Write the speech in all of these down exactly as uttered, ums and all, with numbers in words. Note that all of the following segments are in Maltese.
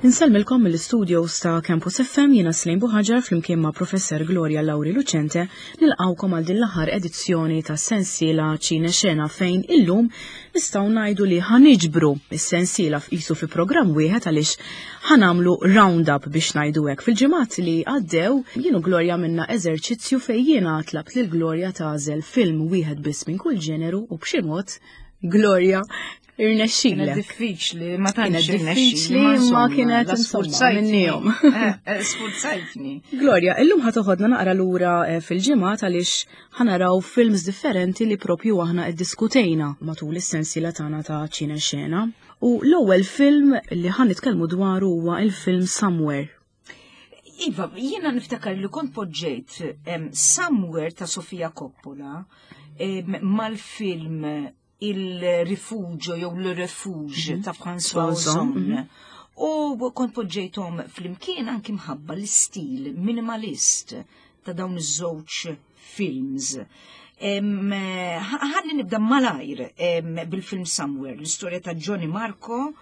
Insellmilkom mill-studios ta' Campus F M, jiena Slejn Buħaġar flimkien ma' Professor Gloria Lauri Lucente nilqawkom għal din l-aħħar edizzjoni ta' sensiela Ċine Xena, fejn illum nistgħu ngħidu li ħa niġbru is-sensiela f'isu fi programm wieħed għaliex ħa nagħmlu round-up, biex ngħidu hekk. Fil-ġimgħat li għaddew jien u Gloria għamilna eżerċizzju fejn jiena tlabt lil Gloria tagħżel film wieħed biss minn kull ġeneru u b'xi mod, Gloria, irnexxilek. Kienet diffiċli, ma tantx. Kienet diffiċli, ma kienet insomma minnihom. Eh, eh, sfurzajtni. Gloria, illum ħa toħodna naqra lura eh, fil-ġimgħat għaliex ħa naraw films differenti li propju aħna iddiskutejna matul is-sensiela tagħna ta' Ċine Xena. U l-ewwel film li ħa nitkellmu dwaru huwa il-film Somewhere. Iva, jiena niftakar li kont poġġejt em, Somewhere ta' Sofia Coppola em, mal-film Il Rifugio jew Le Refuge ta' François Ozon, Ozon. mhm. U kont poġġejthom flimkien anki mħabba l-istil minimalist ta' dawn iż-żewġ films. Em, Ħalli nibda malajr em, bil-film Somewhere, l-istorja ta' Johnny Marco,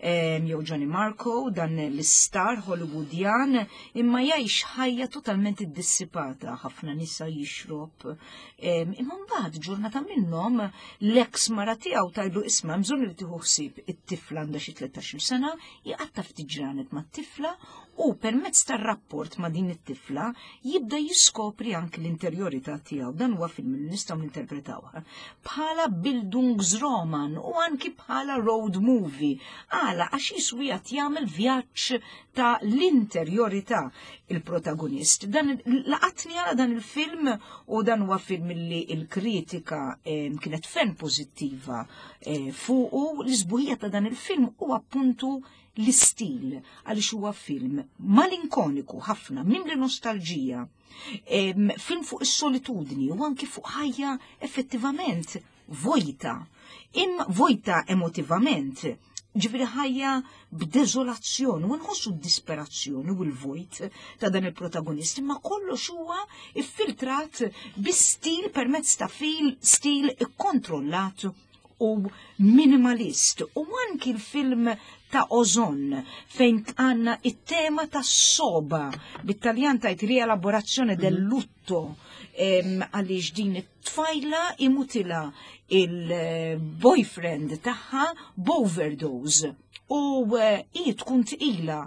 em, jew Johnny Marco, dan l-star Hollywoodjan, imma jgħix ħajja totalment iddissipata, ħafna nisa, jixrob. Em, Imma mbagħad ġurnata minnhom l-ex mara tiegħu tgħidlu, "Isma', bżonn li tieħu ħsieb it-tifla, għandha xi tlettax-il sena." Jqatta' ftit ġranet mat-tifla u permezz tar-rapport ma' din it-tifla jibda jiskopri anki l-interjorità tiegħu. Dan huwa film li nistgħu ninterpretawha bħala Bildungsroman u anki bħala road movie. Għala? Għax qisu qiegħed jagħmel vjaġġ ta' l-interjorità il-protagonist. Dan laqatni għala dan il-film u dan huwa film li il-kritika eh, kienet ferm pożittiva eh, fuqu. L-isbuħija ta' dan il-film u appuntu l-istil, għaliex huwa film malinkoniku ħafna, mimli nostalġija. Em, film fuq is-solitudni u anki fuq ħajja effettivament vojta, imma vojta emotivament. Ġifieri ħajja b'deżolazzjoni u nħossu d-disperazzjoni u l-vojt ta' dan il-protagonist, imma kollox huwa iffiltrat bi stil, permezz ta' fil stil ikkontrollat u minimalist. U anki l-film ta' Ozon, fejn għanna it-tema ta' soba, bit-Taljan tgħid rielaborazione del lutto, em, għaliex din it-tfajla imutilha il-boyfriend tagħha b'overdose u eh, hi tkun tqila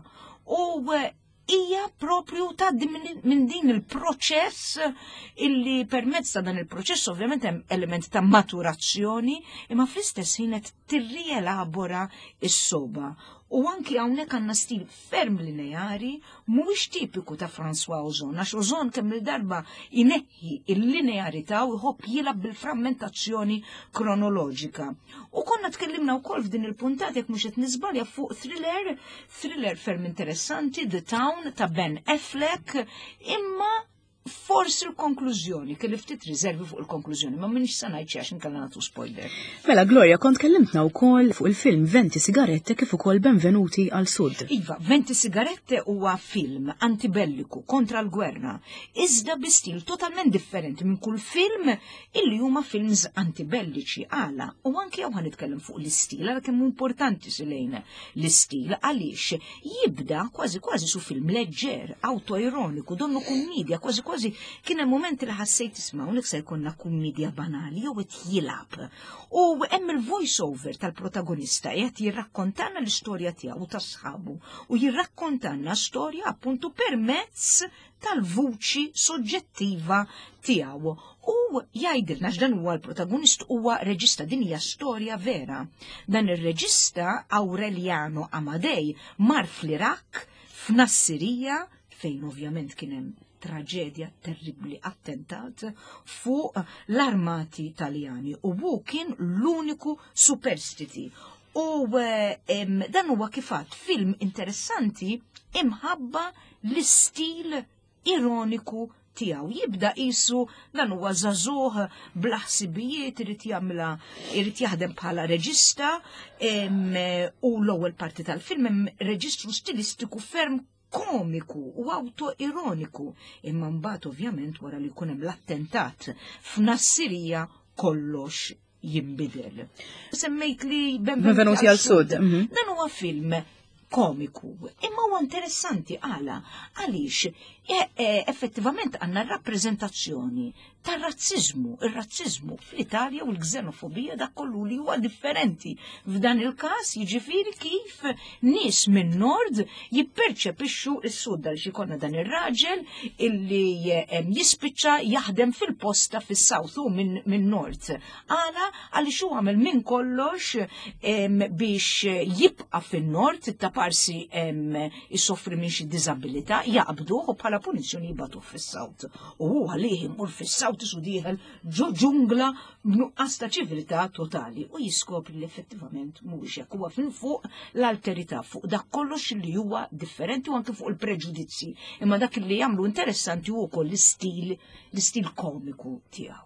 u eh, hija propju tgħaddi minn min din il-proċess, illi permezz ta' dan il-proċess ovvjament hemm element ta' maturazzjoni, imma fl-istess ħin qed tirrielabora s-soba. U anki hawnhekk għandna stil ferm lineari, mhuwiex tipiku ta' François Ozon, għax Ozon kemm il-darba ineħħi il-linearità u jħobb jilgħab bil-frammentazzjoni kronoloġika. U konna tkellimna wkoll f'din il-puntat, jekk mhux qed niżbalja, fuq thriller, thriller ferm interessanti, The Town ta' Ben Affleck, imma forsi l-konklużjoni, kelli ftit riservi fuq il-konklużjoni, ma minix sa ngħid għax inkella nagħtu spoiler. Mela Gloria, kont kellimtna wkoll fuq il-film Venti Sigarette kif ukoll Benvenuti al Sud. Iva, Venti Sigarette huwa film antibelliku, kontra l-gwerra, iżda bi stil totalment differenti minn kull film illi huma films antibelliċi. Għala? U anki hawn ħa nitkellem fuq l-istil, għala kemm importanti silejna l-istil, għaliex jibda kważi kważi su film leġġer, autoironiku, donnu kummedja, kważi kważi kien hemm moment li ħassejt, "Isma', hawnhekk se jkollna kummedja banali jew qed jilgħab?" U hemm il-voice over tal-protagonista qed jirrakkontana l-istorja tiegħu u ta' sħabu u jirrakkontana storja appuntu permezz tal-vuċi soġġettiva tiegħu. U jgħidilna x'dan huwa, l-protagonist huwa reġista, din hija storja vera. Dan ir-reġista Aureliano Amadei mar fl-Iraq, f'Nassirija, fejn ovvjament kien hemm traġedja terribli, attentat fuq l-armati Taljani, u hu kien l-uniku superstiti. U eh, em, dan huwa kifat film interessanti imħabba l-istil ironiku tiegħu. Jibda qisu dan huwa żagħżugħ bla ħsibijiet, irid jagħmilha, irid jaħdem bħala reġista, em, u l-ewwel parti tal-film hemm reġistru stilistiku ferm komiku u autoironiku. Imma mbagħad ovvjament wara li jkun hemm l-attentat f'Nassirija kollox jinbidel. Semmejt li Benvenuti al Sud. mhm. Dan huwa film komiku. Imma huwa interessanti għala, għaliex e, e, effettivament għandna rappreżentazzjoni tar-razzizmu, ir-razzizmu fl-Italja u l-xenofobija, dak kollu li huwa differenti. F'dan il-każ, jiġifieri, kif nies minn nord jipperċepixxu s-sud, għal konna dan ir-raġel illi jispiċċa jaħdem fil-posta fis-south u minn min nord. Għala? Għaliex hu għamel minn kollox biex jibqa' fin-nord, ta' parsi jissofri minn xi diżabilità, jaqbduh u bħala punizzjoni jibagħtuh fis-south. U hu għalih imur fis-south isu dieħel ġo ġungla b'nuqqas ta' ċiviltà totali u jiskopri li effettivament mhuwiex hekk, huwa fin fuq l-alterità, fuq dak kollox li huwa differenti u anke fuq il-preġudizzi. Imma dak li jagħmlu interessanti hu wkoll l-istil l-istil komiku tiegħu.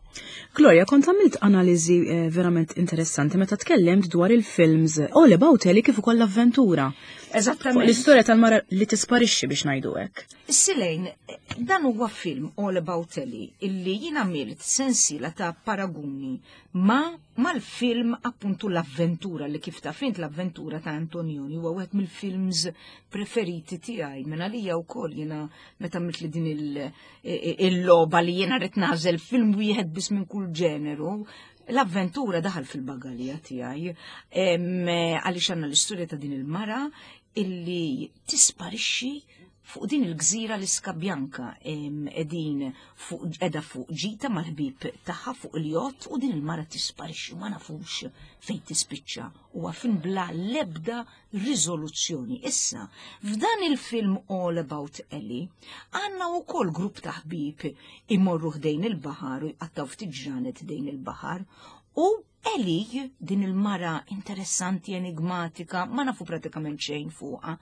Gloria, kont għamilt analiżi eh, verament interessanti meta tkellimt dwar il-films All About Ellie kif ukoll l-avventura. Eżattament. L-istorja tal-mara li tisparixxi, biex ngħidu hekk. Silejn, dan huwa film All About Ellie illi jien għamilt sensiela ta' paraguni ma mal-film appuntu l-avventura, li kif taf int, l-avventura ta' Antonioni huwa wieħed mill-films preferiti tiegħi. Minn għalija wkoll, jiena meta għamilt li din il-logħba li jiena rrid nagħżel film wieħed biss minn kull ġeneru, l-avventura daħal fil-bagalja tiegħi, għaliex għandna l-istorja ta' din il-mara illi tisparixxi fuq din il-gżira l-Iska Bianca, edin fuq edha fuq ġita mal-ħbib tagħha fuq il-jott u din il-mara tisparixxi, ma nafux fejn tispiċċa. Huwa film bla lebda riżoluzzjoni. Issa, f'dan il-film All About Ellie, għandna wkoll grupp ta' ħbib imorru ħdejn il-baħar u jqattaw ftit ġranet ħdejn il-baħar u Ellie, din il-mara interessanti, enigmatika, ma nafu pratikament xejn fuqha,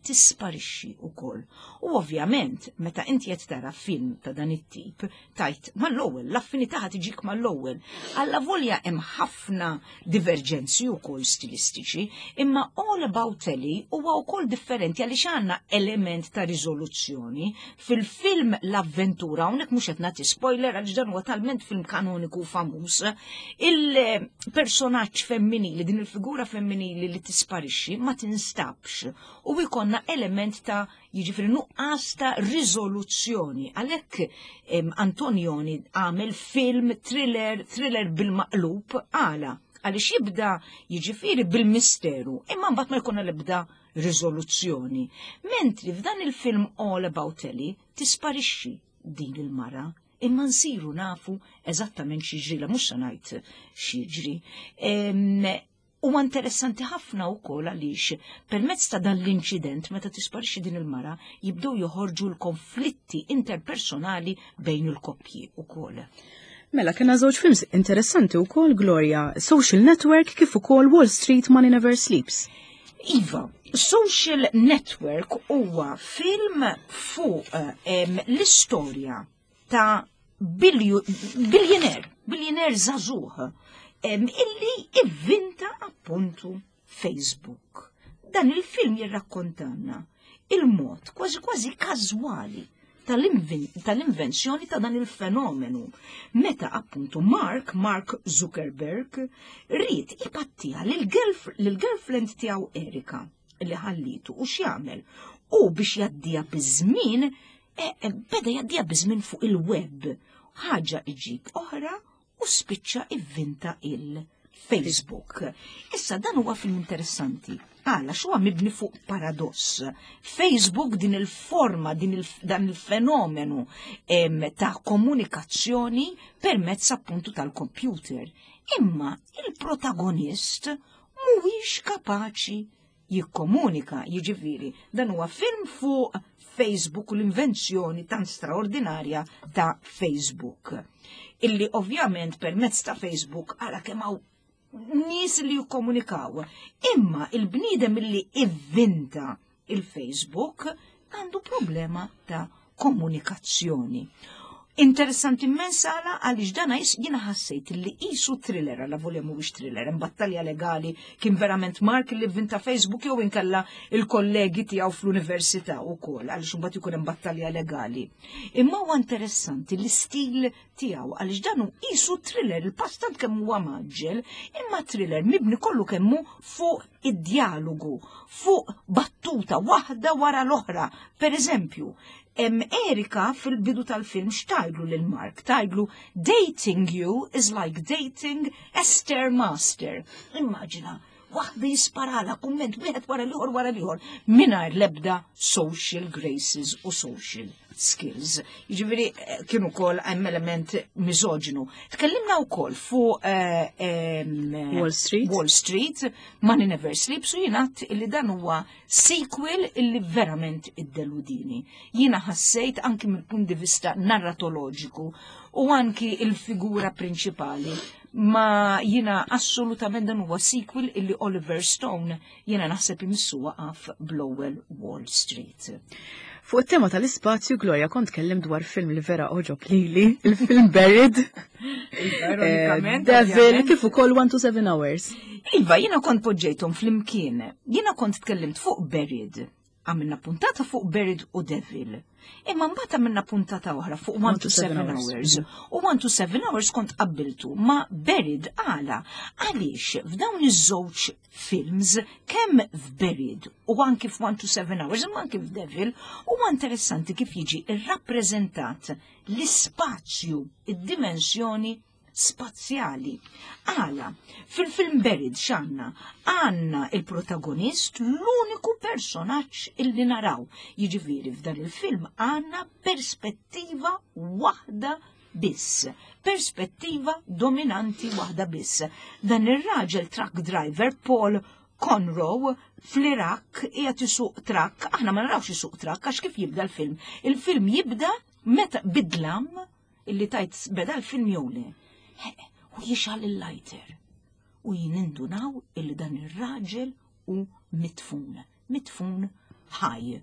tisparixxi wkoll. U ovvjament, meta inti qed tara film ta' dan it-tip, tajt mal-ewwel, l-affinità ħa tiġik mal-ewwel. Alla volja hemm ħafna diverġenzi wkoll stilistiċi, imma All About Ellie huwa wkoll differenti għaliex għandna element ta' riżoluzzjoni. Fil-film L-Avventura, hawnhekk mhux qed nagħti spoiler għaliex dan huwa talment film kanoniku famuż, il-personaġġ femminili, din il-figura femminili li tisparixxi ma tinstabx u jkollna element ta', jiġifieri, nuqqas ta' riżoluzzjoni. Għalhekk Antonioni għamel film thriller, thriller bil-maqlub. Għala? Għaliex jibda, jiġifieri, bil-misteru, imma mbagħad ma jkollna l-ebda riżoluzzjoni. Mentri f'dan il-film All About Ellie tisparixxi din il-mara, imma nsiru nafu eżattament x'jiġri, la mhux se ngħid x'jiġri. Huwa interessanti ħafna wkoll għaliex permezz ta' dan l-inċident, meta tisparixxi din il-mara, jibdew joħorġu l-konflitti interpersonali bejn il-koppji ukoll. Mela, kena żewġ films interessanti wkoll, Gloria, Social Network kif ukoll Wall Street Money Never Sleeps. Iva, Social Network huwa film fuq l-istorja ta' billionaire, billionaire żagħżugħ illi ivvinta appuntu Facebook. Dan il-film jirrakkontanna il-mod kważi kważi każwali tal-invenzjoni ta' dan il-fenomenu. Meta appuntu Mark, Mark Zuckerberg, ried ipattija lil-girlfriend tiegħu Erika li ħallitu, u x'jagħmel? U biex jgħaddiha biż-żmien, e, e, beda jgħaddiha biż-żmien fuq il-web. Ħaġa iġib oħra u spiċċa ivvinta il-Facebook. Issa, dan huwa film interessanti. Għala? Huwa mibni fuq paradoss. Facebook, din il-forma, din il dan il-fenomenu em, ta' komunikazzjoni permezz appuntu tal-computer. Imma il-protagonist mhuwiex kapaċi jikkomunika, jiġifieri, dan huwa film fuq Facebook u l-invenzjoni tan straordinarja ta' Facebook. Illi ovvjament permezz ta' Facebook għara kemm hawn nies li jikkomunikaw. Imma il-bniedem illi ivvinta il-Facebook għandu problema ta' komunikazzjoni. Interessanti immens għala għaliex dana jiena ħassejt li qisu thriller, għala volja mhuwiex thriller, hemm battalja legali, kien verament Mark li vvinta Facebook jew inkella il-kollegi tiegħu fl-università wkoll, għaliex imbagħad ikun hemm battalja legali. Imma huwa interessanti l-istil tiegħu għaliex dan hu qisu thriller, il-pass tant kemm huwa mgħaġġel, imma thriller mibni kollu kemm hu fuq id-dialogu, fuq battuta waħda wara l-oħra. Per eżempju, Erika fil-bidu tal-film x'tgħidlu lil Mark? Tgħidlu, "Dating you is like dating a stairmaster." Immaġina, waħda jisparala kumment wieħed wara l-ieħor wara l-ieħor mingħajr l-ebda social graces u social skills. Jiġifieri eh, kien ukoll hemm element misoġinu. Tkellimna wkoll fuq eh, Wall Street. Wall Street, Money Never Sleeps, u jiena li dan huwa sequel illi verament iddeludini. Jiena ħassejt anki mill-punt di vista narratoloġiku u anki il-figura prinċipali, ma jiena assolutament dan huwa sequel illi Oliver Stone jiena naħseb imissu waqaf bl-ewwel Wall Street. Fuq it-tema tal-ispazju, Gloria, kont tkellimt dwar film li vera għoġob lili, il-film Buried, Ironikament, Devil, kif ukoll one to seven Hours. Iva, jiena kont poġġejthom flimkien. Jiena kont tkellimt fuq Buried. Għamilna puntata fuq Buried u Devil. Imma mbagħad għamilna puntata oħra fuq one to seven Hours. U one to seven Hours kont qabbiltu ma' Buried. Għala? Għaliex f'dawn iż-żewġ films, kemm f'Buried u anki f'one to seven Hours, imma anki f'Devil, huwa interessanti kif jiġi irrappreżentat l-ispazju, id-dimensjoni spazjali. Għala, fil-film Buried x'għandna? Għandna il-protagonist, l-uniku personaġġ illi naraw. Jiġifieri f'dan il-film għandna perspettiva waħda biss. Perspettiva dominanti waħda biss. Dan ir-raġel truck driver Paul Conroe fl-Irak qiegħed isuq truck, aħna ma narawx isuq truck għax kif jibda l-film? Il-film jibda meta bid-dlam illi tgħid beda l-film jew le. U jixgħel il-lighter. U nindunaw illi dan ir-raġel hu midfun. Midfun ħaj.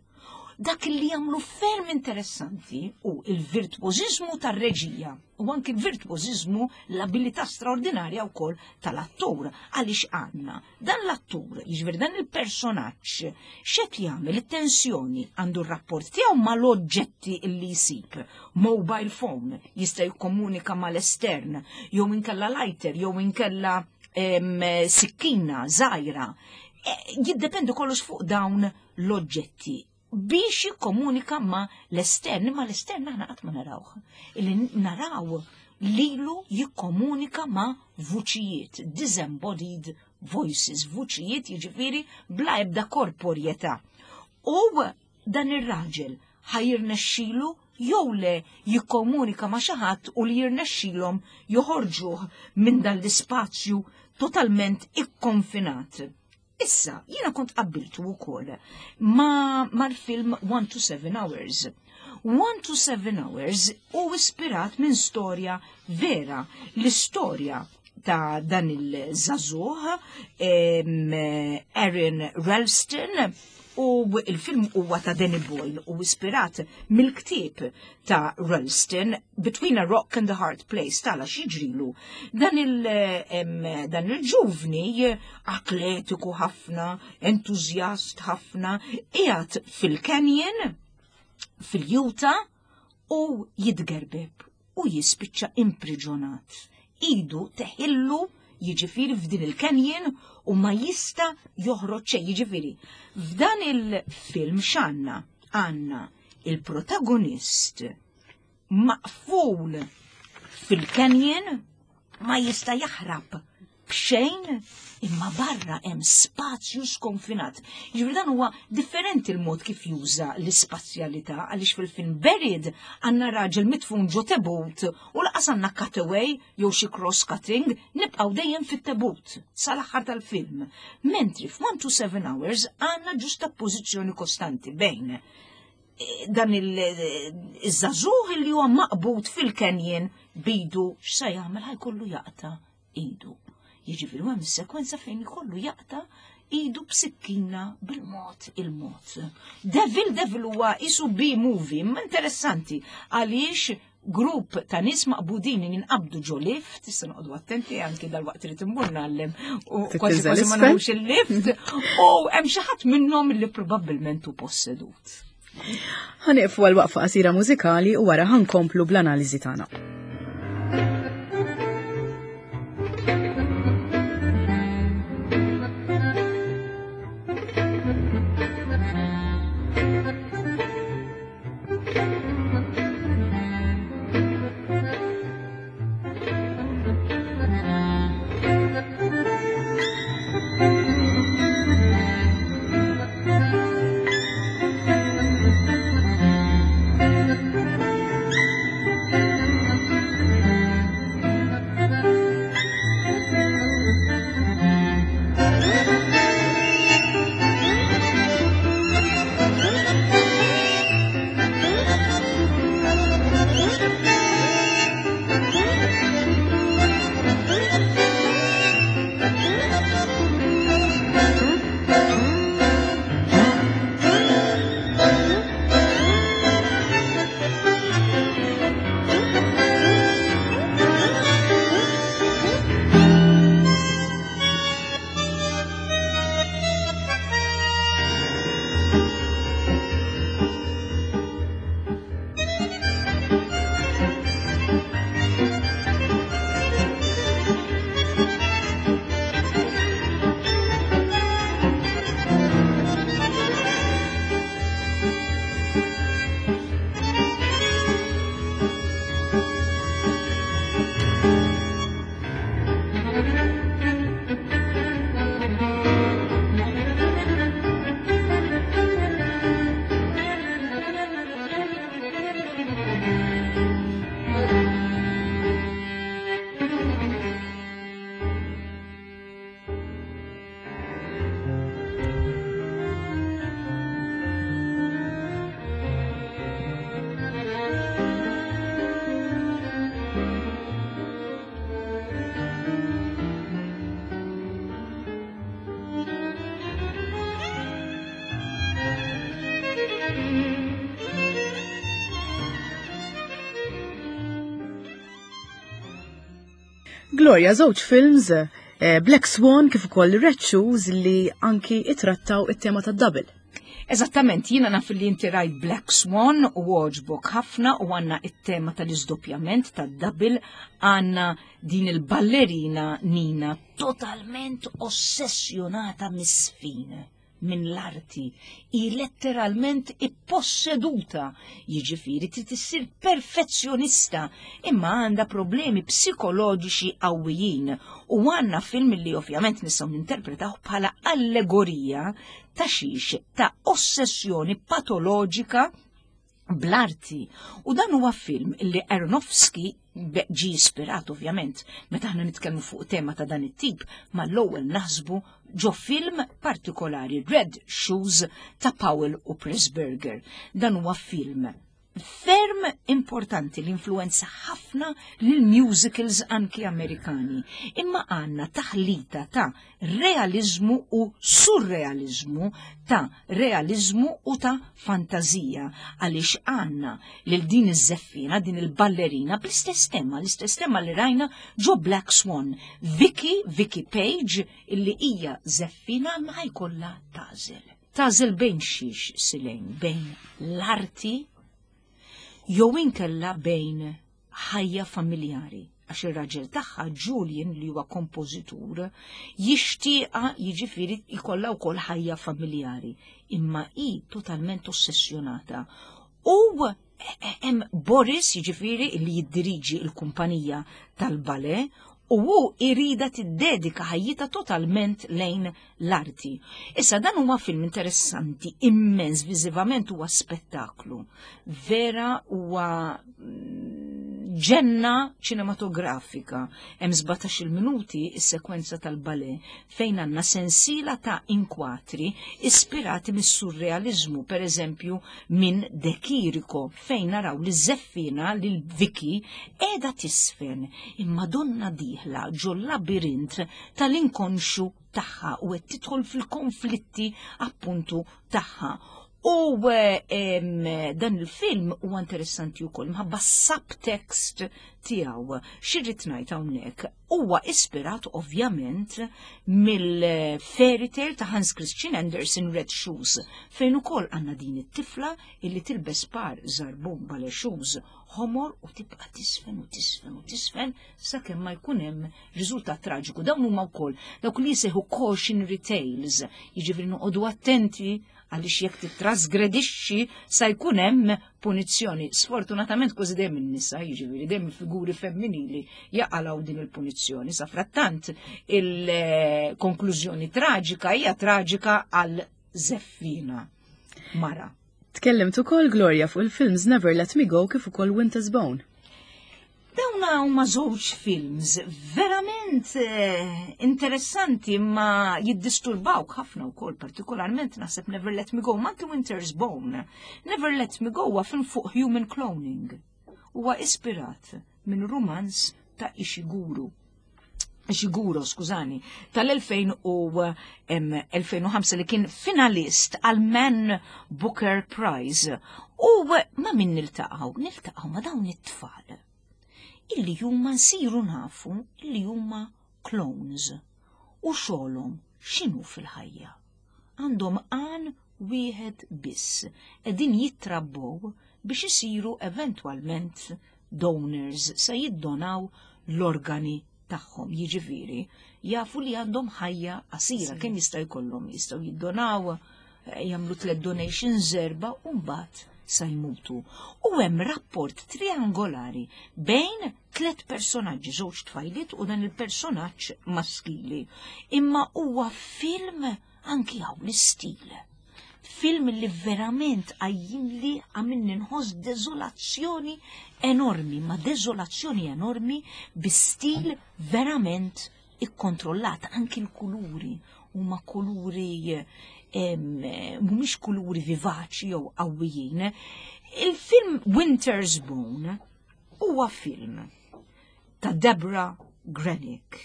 Dak li jagħmlu ferm interessanti hu il-virtuożiżmu tar-reġija u anki il-virtuożiżmu, l-abilità straordinarja wkoll tal-attur, għaliex għandna dan l-attur, jiġifieri dan il-personaġġ, x'qed jagħmel, it-tensjoni, għandu r-rapport tiegħu mal-oġġetti li jsib. Mobile phone, jista' jikkomunika mal-estern, jew inkella lighter, jew inkella sikkina żgħira. E, jiddependi kollox fuq dawn l-oġġetti biex jikkomunika ma l-estern, ma l-estern aħna qatt ma narawh. Illi naraw lilu jikkomunika ma vuċijiet, disembodied voices, vuċijiet jiġifieri bla ebda korporjetà. U dan ir-raġel ħa jirnexxilu jew le jikkomunika ma xi ħadd u li jirnexxilhom joħorġuh minn dan l-ispazju totalment ikkonfinat? Issa, jiena kont qabbiltu wkoll ma mal-film one to seven Hours. one to seven Hours hu ispirat minn storja vera. L-istorja ta' dan il-żagħżugħ Aaron Ralston, u il-film huwa ta' Danny Boyle u ispirat mill-ktieb ta' Ralston, Between a Rock and a Hard Place. Tala x'jiġrilu? Dan il dan il-ġuvni atletiku ħafna, entużjast ħafna, qiegħed fil-canyon fil-Utah u jitgerbeb u jispiċċa impriġonat. Idu teħillu, jiġifieri f'din il-canyon, u ma jista' joħroġ xejn. Jiġifieri f'dan il-film x'għandna? Għandna il-protagonist maqful fil-canyon, ma jista' jaħrab b'xejn, imma barra hemm spazju skonfinat. Jiġifieri dan huwa differenti l-mod kif juża l-ispazjalità, għaliex fil-film Buried għandna raġel midfun ġo tebut u lanqas għandna cutaway jew xi cross-cutting, nibqgħu dejjem fit-tebut sal-aħħar tal-film. Mentri f'One to Seven Hours għandna ġusta pożizzjoni kostanti bejn eh, dan il-żagħżugħ li huwa maqbud fil-canyon b'idu, x'sa jagħmel, ħa jkollu jaqta' idu. Jiġifieri hemm sekwenza fejn ikollu jaqta' idu b'sikkina bil-mod il-mod. Devil Devil huwa qisu B-movie, imma interessanti għaliex Grupp ta' nies maqbudin jinqabdu ġo lift, issa noqogħdu attenti anki dal-waqt li timbur ngħallem u kważi kważi ma nagħmlux il-lift, u hemm xi ħadd minnhom li probabbilment hu possedut. Ħa nieqfu għal waqfa qasira mużikali u wara ħa nkomplu bl-analiżi tagħna. Gloria, żewġ films, eh, Black Swan kif ukoll Red Shoes li anki ittrattaw it-tema tad-double. Eżattament, jiena naf li inti rajt Black Swan u għoġbok ħafna u għandna it-tema tal-iżdoppjament tad-double, għandna din il-ballerina Nina totalment ossessjonata misfin minn l-arti, i letteralment ipposseduta, jiġifieri trid issir perfezzjonista, imma għandha problemi psikoloġiċi qawwijin u għandna film li ovvjament nistgħu ninterpretaw bħala allegorija ta' xiex ta' ossessjoni patoloġika bl-arti. U dan huwa film li Aronofsky ġi ispirat ovvjament, meta aħna nitkellmu fuq tema ta' dan it-tip, ma l-ewwel naħsbu ġo film partikolari, Red Shoes ta' Powell u Pressburger. Dan huwa film ferm importanti li influenza ħafna lil musicals anki Amerikani. Imma għandna taħlita ta' realizmu u surrealizmu, ta' realizmu u ta' fantazija, għaliex għandna lil din iż-żeffina, din il-ballerina bl-istess tema, l-istess tema li rajna ġo Black Swan. Vicky, Vicky Page, illi hija żeffina ma jkollha tażel. Tażel bejn xiex silejn, bejn l-arti jew inkella bejn ħajja familjari, għax ir-raġel tagħha Julian li huwa kompożitur jixtieqa jiġifieri jkollha wkoll ħajja familjari, imma hi totalment ossessjonata. U hemm Boris jiġifieri li jiddiriġi l-kumpanija tal-ballet u hu irida tiddedika ħajjitha totalment lejn l-arti. Issa dan huwa film interessanti immens, viżivament huwa spettaklu. Vera huwa ġenna ċinematografika. Hemm sbatax-il minuti is-sekwenza tal-ballet fejn għandna sensiela ta' inkwatri ispirati mis-surrealizmu, per eżempju minn De Chirico, fejn naraw li żeffina lil Vicky qiegħda tisfen imma donna dieħla ġo labirint tal-inkonxu tagħha u qed tidħol fil-konflitti appuntu tagħha. U dan il-film huwa interessanti wkoll minħabba subtext tiegħu. X'irrid ngħid hawnhekk? Huwa ispirat ovvjament mill-fairy tale ta' Hans Christian Andersen, Red Shoes, fejn ukoll għandna din it-tifla illi tilbes par żarbun ballet shoes ħomor u tibqa' tisfen u tisfen u tisfen sakemm ma jkun hemm riżultat traġiku. Dawn huma wkoll dawk li jsejħu cautionary tales, jiġifieri noqogħdu attenti għaliex jekk titrasgredixxi sa jkun hemm punizzjoni. Sfortunatament kważi dejjem in-nisa, jiġifieri dejjem il-figuri femminili jaqalgħu din il-punizzjoni. Sa frattant il-konklużjoni traġika hija traġika għal żeffina mara. Tkellimt ukoll, Gloria, fuq il-films Never Let Me Go kif ukoll Winter's Bone. Dawna huma żewġ films verament eh, interessanti ma jiddisturbawk ħafna wkoll, partikolarment naħseb Never Let Me Go, ma anke Winter's Bone. Never Let Me Go huwa film fuq human cloning. Huwa ispirat minn rumanz ta' Ishiguro. Ishiguro, skużani, tal-elfejn u ħamsa li kien finalist għal Man Booker Prize. U ma' min niltaqgħu? Niltaqgħu ma' dawn it-tfal illi huma nsiru nafu illi huma clones u xogħolhom x'inhu fil-ħajja. Għandhom għan wieħed biss, qegħdin jitrabbow biex isiru eventwalment donors, sa jiddonaw l-organi tagħhom, jiġifieri jafu li għandhom ħajja qasira, kemm jista' jkollhom, jistgħu jiddonaw, eh, jagħmlu tliet donations, erba' u mbagħad sa jmutu. U hemm rapport triangolari bejn tliet personaġġi, żewġ tfajliet u dan il-personaġġ maskili. Imma huwa film anki hawn l-istil. Film li verament għajjimli, għamilni nħoss deżolazzjoni enormi, ma deżolazzjoni enormi bi stil verament ikkontrollat, anki l-kuluri huma kuluri mhumiex kuluri vivaċi jew qawwijin. Il-film Winter's Bone huwa film ta' Deborah Granik.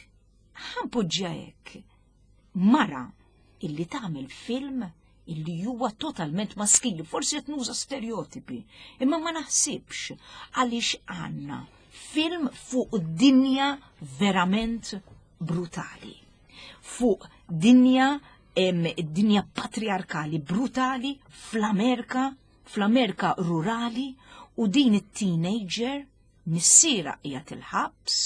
Ħa npoġġiha hekk. Mara illi tagħmel film illi huwa totalment maskili, forsi qed nuża stereotipi, imma ma naħsibx, għaliex għandna film fuq dinja verament brutali. Fuq dinja em, dinja patriarkali brutali fl-Amerika, fl-Amerika rurali, u din it-teenager missierha qiegħed il-ħabs,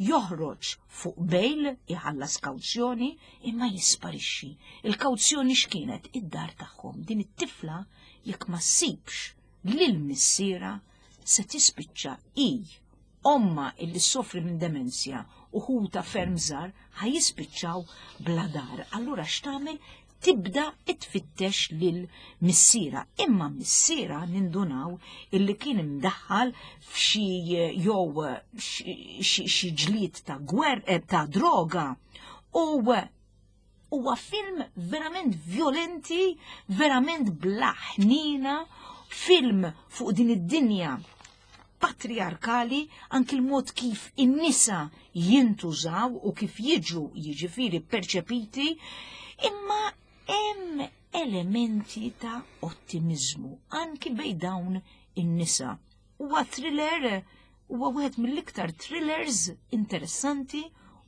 joħroġ fuq bail, iħallas kawzjoni, imma jisparixxi. Il-kawzjoni x'kienet? Id-dar tagħhom. Din it-tifla jekk ma ssibx lil missierha se tispiċċa i omma illi soffri minn demenzja u ħuta ferm żgħar ħa jispiċċaw bla dar. Allura x'tagħmel? Tibda tfittex lil missierha. Imma missierha nindunaw illi kien imdaħħal f'xi jew xi ġlied ta' gwer eh, ta' droga u huwa film verament violenti, verament bla ħnina, film fuq din id-dinja patriarkali, anki l-mod kif in-nisa jintużaw u kif jiġu, jiġifieri, perċepiti, imma hemm elementi ta' ottimizmu anki bej dawn in-nisa. Huwa thriller, huwa wieħed mill-iktar thrillers interessanti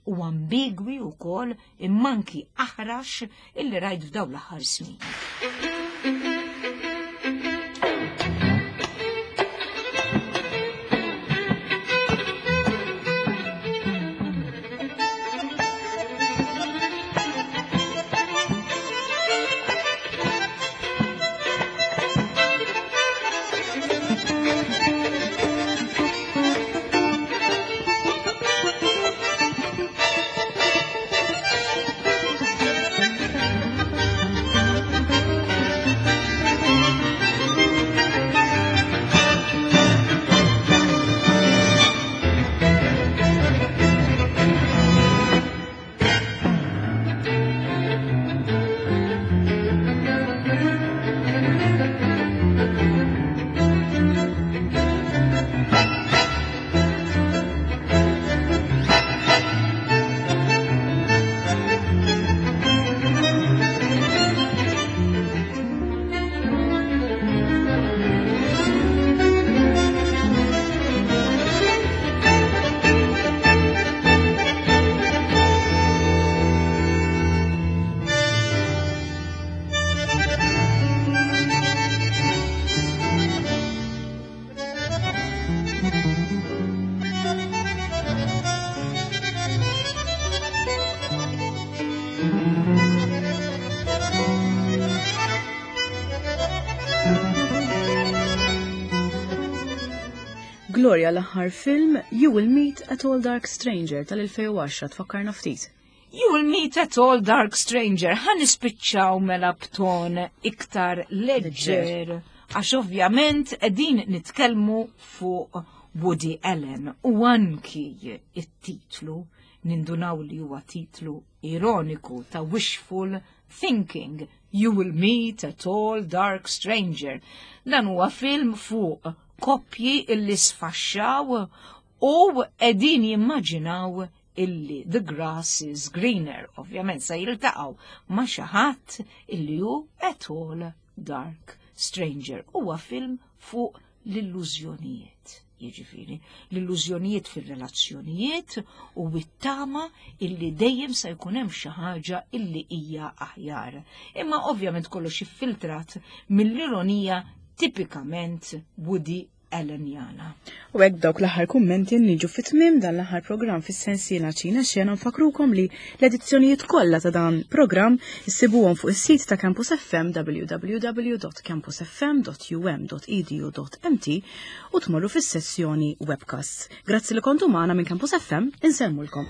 u ambigwi wkoll imma anki aħrax illi rajt f'dawn l-aħħar snin. Gloria, l-aħħar film, You Will Meet a Tall Dark Stranger tal-elfejn u għaxra, tfakkarna ftit. You Will Meet a Tall Dark Stranger, ħa nispiċċaw mela b'ton iktar leġġer, għax ovvjament qegħdin nitkellmu fuq Woody Allen u anki it-titlu nindunaw li huwa titlu ironiku ta' wishful thinking. You Will Meet a Tall Dark Stranger. Dan huwa film fuq koppji illi sfaxxaw u qegħdin jimmaġinaw illi the grass is greener. Ovvjament sa jiltaqgħu ma' xi ħadd illi hu a tall dark stranger. Huwa film fuq l-illużjonijiet. Jiġifieri, l-illużjonijiet fir-relazzjonijiet u it-tama illi dejjem se jkun hemm xi ħaġa illi hija aħjar. Imma ovvjament kollox iffiltrat mill-ironija tipikament Woody Allenjana. U hekk dawk l-aħħar kummenti niġu fit-tmiem dan l-aħħar programm fis-sensiela Ċina Xena. Nfakrukom li l-edizzjonijiet kollha ta' dan programm issibuhom fuq is-sit ta' Campus F M, w w w punt campusfm punt u m punt edu punt m t, u tmorru fis-sessjoni webcast. Grazzi li kontu magħna. Minn Campus F M insellmulkom.